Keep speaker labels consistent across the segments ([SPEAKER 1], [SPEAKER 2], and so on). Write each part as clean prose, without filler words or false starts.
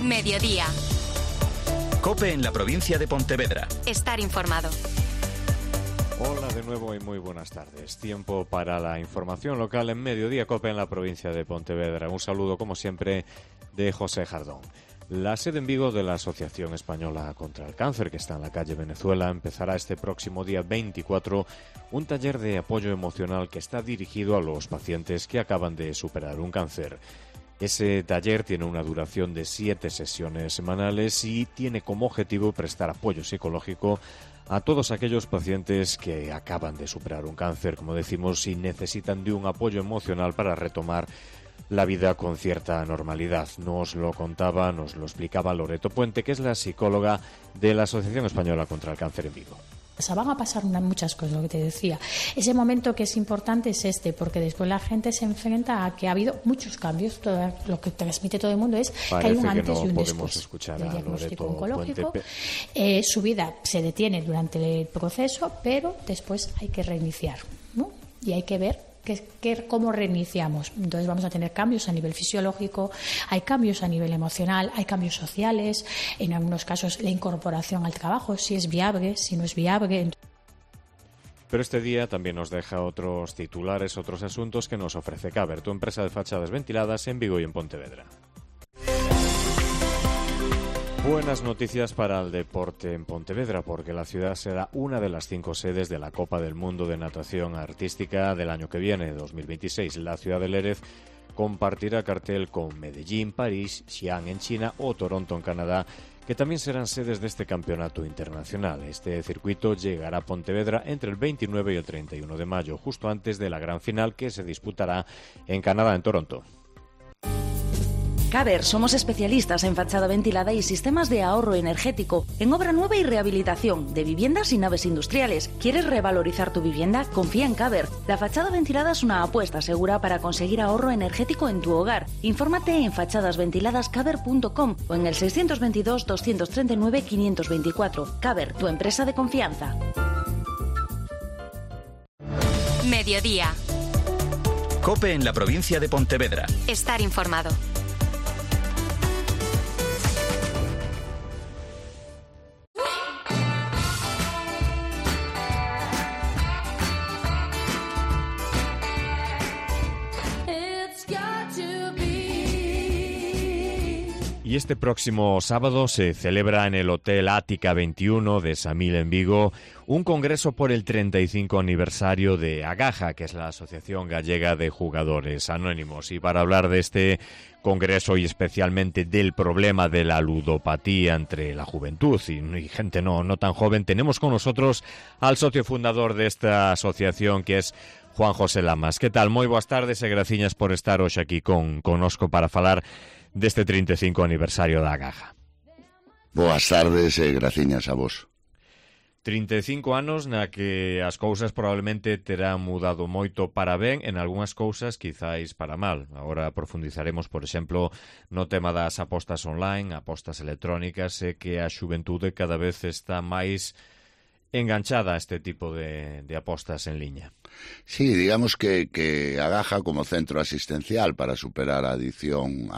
[SPEAKER 1] Mediodía.
[SPEAKER 2] COPE en la provincia de Pontevedra.
[SPEAKER 1] Estar informado.
[SPEAKER 3] Hola de nuevo y muy buenas tardes. Tiempo para la información local en Mediodía COPE en la provincia de Pontevedra. Un saludo, como siempre, de José Jardón. La sede en Vigo de la Asociación Española contra el Cáncer, que está en la calle Venezuela, empezará este próximo día 24 un taller de apoyo emocional que está dirigido a los pacientes que acaban de superar un cáncer. Ese taller tiene una duración de 7 sesiones semanales y tiene como objetivo prestar apoyo psicológico a todos aquellos pacientes que acaban de superar un cáncer, como decimos, y necesitan de un apoyo emocional para retomar la vida con cierta normalidad. Nos lo contaba, nos lo explicaba Loreto Puente, que es la psicóloga de la Asociación Española contra el Cáncer en Vigo.
[SPEAKER 4] O sea, van a pasar muchas cosas, lo que te decía. Ese momento que es importante es porque después la gente se enfrenta a que ha habido muchos cambios. Todo lo que transmite todo el mundo es que hay un antes y un después del diagnóstico oncológico. Su vida se detiene durante el proceso, pero después hay que reiniciar, ¿no? Y hay que ver cómo reiniciamos. Entonces vamos a tener cambios a nivel fisiológico, hay cambios a nivel emocional, hay cambios sociales, en algunos casos la incorporación al trabajo, si es viable, si no es viable.
[SPEAKER 3] Pero este día también nos deja otros titulares, otros asuntos que nos ofrece Caber, tu empresa de fachadas ventiladas en Vigo y en Pontevedra. Buenas noticias para el deporte en Pontevedra, porque la ciudad será una de las 5 sedes de la Copa del Mundo de Natación Artística del año que viene, 2026. La ciudad de Lérez compartirá cartel con Medellín, París, Xi'an en China o Toronto en Canadá, que también serán sedes de este campeonato internacional. Este circuito llegará a Pontevedra entre el 29 y el 31 de mayo, justo antes de la gran final que se disputará en Canadá, en Toronto.
[SPEAKER 5] Caber, somos especialistas en fachada ventilada y sistemas de ahorro energético, en obra nueva y rehabilitación, de viviendas y naves industriales. ¿Quieres revalorizar tu vivienda? Confía en Caber. La fachada ventilada es una apuesta segura para conseguir ahorro energético en tu hogar. Infórmate en fachadasventiladascaber.com o en el 622-239-524. Caber, tu empresa de confianza.
[SPEAKER 1] Mediodía.
[SPEAKER 2] COPE en la provincia de Pontevedra.
[SPEAKER 1] Estar informado.
[SPEAKER 3] Y este próximo sábado se celebra en el Hotel Ática 21 de Samil en Vigo un congreso por el 35 aniversario de Agaja, que es la Asociación Gallega de Jugadores Anónimos. Y para hablar de este congreso y especialmente del problema de la ludopatía entre la juventud y gente no tan joven, tenemos con nosotros al socio fundador de esta asociación, que es Juan José Lamas. Que tal? Moi boas tardes e graciñas por estar hoxe aquí conosco para falar deste 35 aniversario da Agaja.
[SPEAKER 6] Boas tardes e graciñas a vos.
[SPEAKER 3] 35 anos na que as cousas probablemente terán mudado moito para ben, en algunhas cousas quizáis para mal. Agora profundizaremos, por exemplo, no tema das apostas online, apostas electrónicas, e que a xuventude cada vez está máis enganchada a este tipo de apostas en liña.
[SPEAKER 6] Sí, digamos que Agaja como centro asistencial para superar a adicción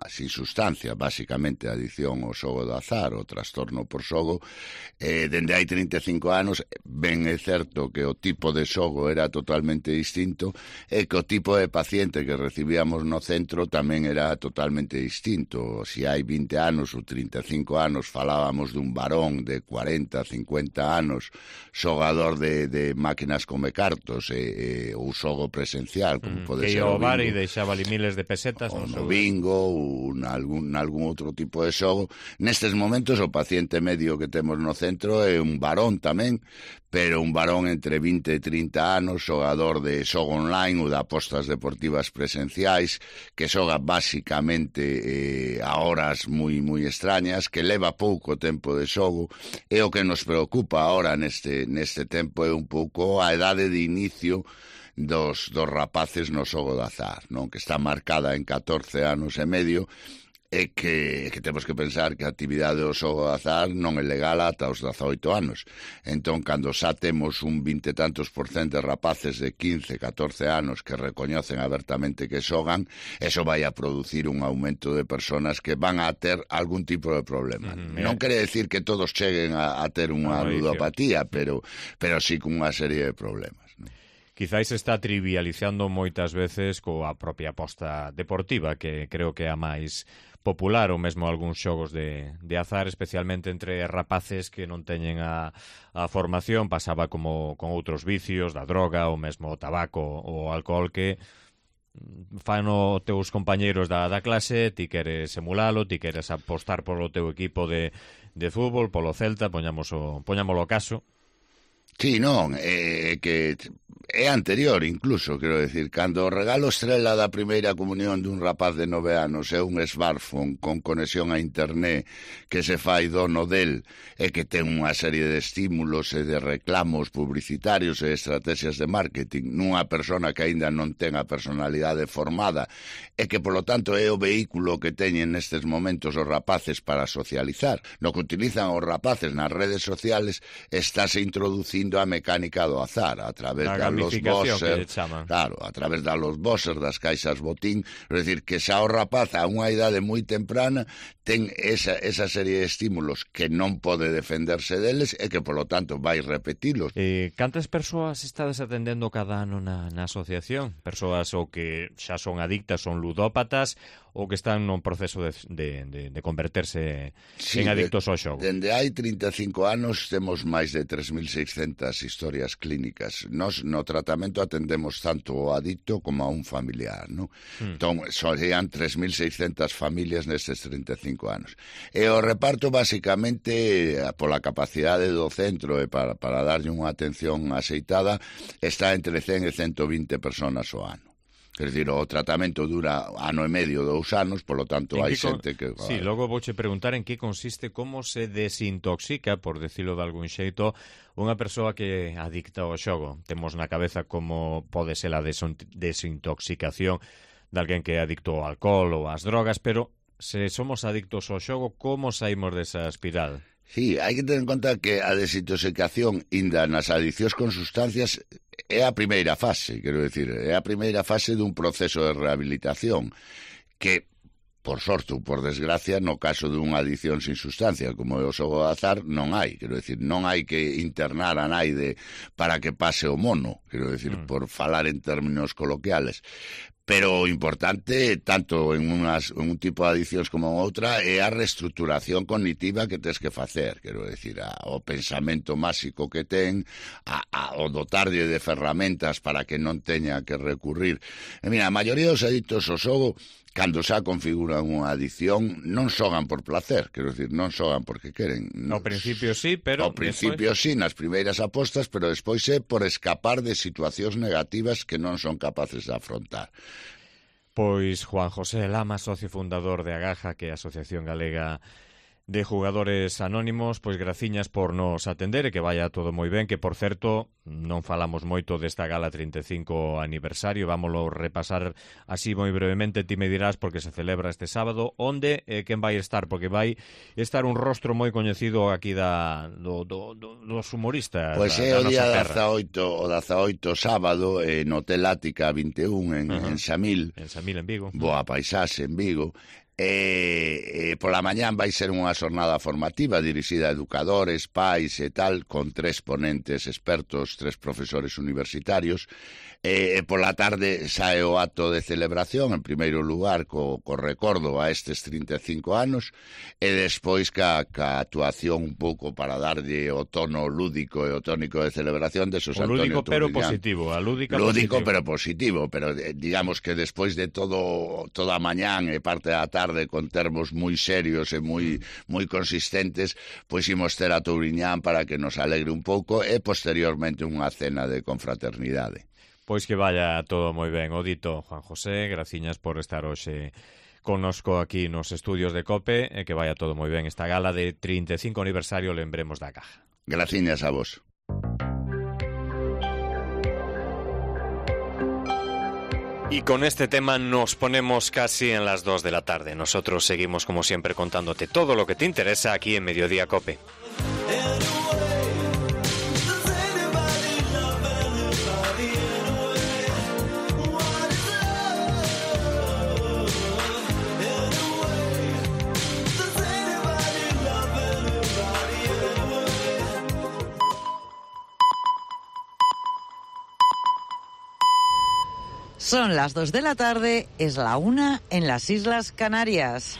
[SPEAKER 6] sin sustancia, básicamente a adicción ao xogo do azar, o trastorno por xogo, dende hai 35 anos, ben é certo que o tipo de xogo era totalmente distinto e que o tipo de paciente que recibíamos no centro tamén era totalmente distinto. Si hai 20 anos ou 35 anos falábamos dun varón de 40, 50 anos, xogador de máquinas come cartos ou xogo presencial, como pode ser
[SPEAKER 3] o bar e deixaba ali miles de pesetas
[SPEAKER 6] ou no bingo ou nalgún outro tipo de xogo. Nestes momentos o paciente medio que temos no centro é un varón tamén, pero un varón entre 20 e 30 anos, xogador de xogo online ou de apostas deportivas presenciais, que xoga basicamente a horas moi extrañas, que leva pouco tempo de xogo, e o que nos preocupa ahora neste tempo é un pouco a edade de inicio dos rapaces no xogo de azar, non? Que está marcada en 14 anos e medio, é que temos que pensar que a actividade do xogo de azar non é legal ata os 18 anos. Entón, cando xa temos un 20 e tantos % de rapaces de 15, 14 anos que recoñecen abertamente que xogan, eso vai a producir un aumento de personas que van a ter algún tipo de problema. Non quere decir que todos cheguen a ter unha ludopatía, pero sí con unha serie de problemas.
[SPEAKER 3] Quizáis está trivializando moitas veces coa propia aposta deportiva, que creo que é a máis popular, ou mesmo algúns xogos de azar, especialmente entre rapaces que non teñen a formación. Pasaba como con outros vicios, da droga, ou mesmo o tabaco ou o alcohol, que fano teus compañeiros da clase, ti queres emulalo, ti queres apostar polo teu equipo de fútbol, polo Celta, poñámolo caso.
[SPEAKER 6] Sí, non, que é anterior incluso, quero decir, cando o regalo estrela da primeira comunión dun rapaz de 9 anos é un smartphone con conexión a internet que se fai dono del e que ten unha serie de estímulos e de reclamos publicitarios e estrategias de marketing nunha persona que aínda non ten a personalidade formada e que, polo tanto, é o vehículo que teñen nestes momentos os rapaces para socializar. No que utilizan os rapaces nas redes sociales estáse introducindo a mecánica do azar a través da los bosser, claro, a través da los bosser, das caixas botín, é dicir, que xa o rapaz a unha idade moi temprana ten esa serie de estímulos que non pode defenderse deles e que, polo tanto, vai repetilos.
[SPEAKER 3] Cantas persoas estades atendendo cada ano na asociación? Persoas ou que xa son adictas, son ludópatas, ou que están nun proceso de converterse en adictos ao xogo?
[SPEAKER 6] Dende hai 35 anos temos máis de 3.600 historias clínicas. Nos no tratamento atendemos tanto ao adicto como a un familiar, ¿no? Entón, serían 3.600 familias nestes 35 anos. E o reparto, basicamente, pola capacidade do centro e para darlle unha atención axeitada, está entre 100 e 120 personas ao ano. Quer dizer, o tratamento dura ano e medio, 2 anos, polo tanto hai xente que...
[SPEAKER 3] Sí, logo vouche preguntar en que consiste, como se desintoxica, por decirlo de algún xeito, unha persoa que é adicta ao xogo. Temos na cabeza como pode ser a desintoxicación de alguén que é adicto ao alcohol ou ás drogas, pero se somos adictos ao xogo, como saímos desa espiral?
[SPEAKER 6] Sí, hai que ter en conta que a desintoxicación inda nas adiccións con sustancias é a primeira fase, quero decir, é a primeira fase dun proceso de rehabilitación que, por sorte ou por desgracia, no caso dunha adicción sin sustancia como é o xogo de azar, non hai, quero decir, non hai que internar a naide para que pase o mono, quero decir, por falar en términos coloquiales. Pero o importante, tanto en un tipo de adiccións como en outra, é a reestructuración cognitiva que tens que facer, quero decir, o pensamento máxico que ten, o dotarlle de ferramentas para que non teña que recurrir. E mira, a maioría dos adictos ao xogo, cando xa configuran unha adicción, non xogan por placer, quero dicir, non xogan porque queren.
[SPEAKER 3] Ao principio sí, pero...
[SPEAKER 6] Ao principio sí, nas primeiras apostas, pero despois é por escapar de situacións negativas que non son capaces de afrontar.
[SPEAKER 3] Pois Juan José Lama, socio fundador de Agaja, que é a Asociación Galega de Jugadores Anónimos, pois graciñas por nos atender e que vaya todo moi ben, que por certo non falamos moito desta gala 35 aniversario, vámoslo repasar así moi brevemente, ti me dirás, porque se celebra este sábado, onde e quen vai estar, porque vai estar un rostro moi coñecido aquí dos humoristas.
[SPEAKER 6] Pois é o día 18 sábado no Hotel Ática 21 en Xamil.
[SPEAKER 3] En Xamil, en Vigo.
[SPEAKER 6] Boa paisaxe en Vigo. Pola mañán vai ser unha xornada formativa dirixida a educadores, pais e tal, con 3 ponentes expertos, 3 profesores universitarios. Pola tarde sae o acto de celebración, en primeiro lugar co recordo a estes 35 anos, e despois ca actuación un pouco para darlle o tono lúdico e o tónico de celebración de Xosé Antonio
[SPEAKER 3] Lúdico pero positivo, a lúdica
[SPEAKER 6] lúdico pero positivo, pero digamos que despois de toda a mañán e parte da tarde con termos moi serios e moi consistentes, pois imos ter a Touriñán para que nos alegre un pouco e posteriormente unha cena de confraternidade.
[SPEAKER 3] Pois que vaya todo moi ben. O dito, Juan José, graciñas por estar hoxe connosco aquí nos estudios de COPE e que vaya todo moi ben esta gala de 35 aniversario Lembremos da Caja.
[SPEAKER 6] Graciñas a vos.
[SPEAKER 3] Y con este tema nos ponemos casi en las 2 de la tarde. Nosotros seguimos, como siempre, contándote todo lo que te interesa aquí en Mediodía Cope.
[SPEAKER 7] Son las 2 de la tarde, es la 1 en las Islas Canarias.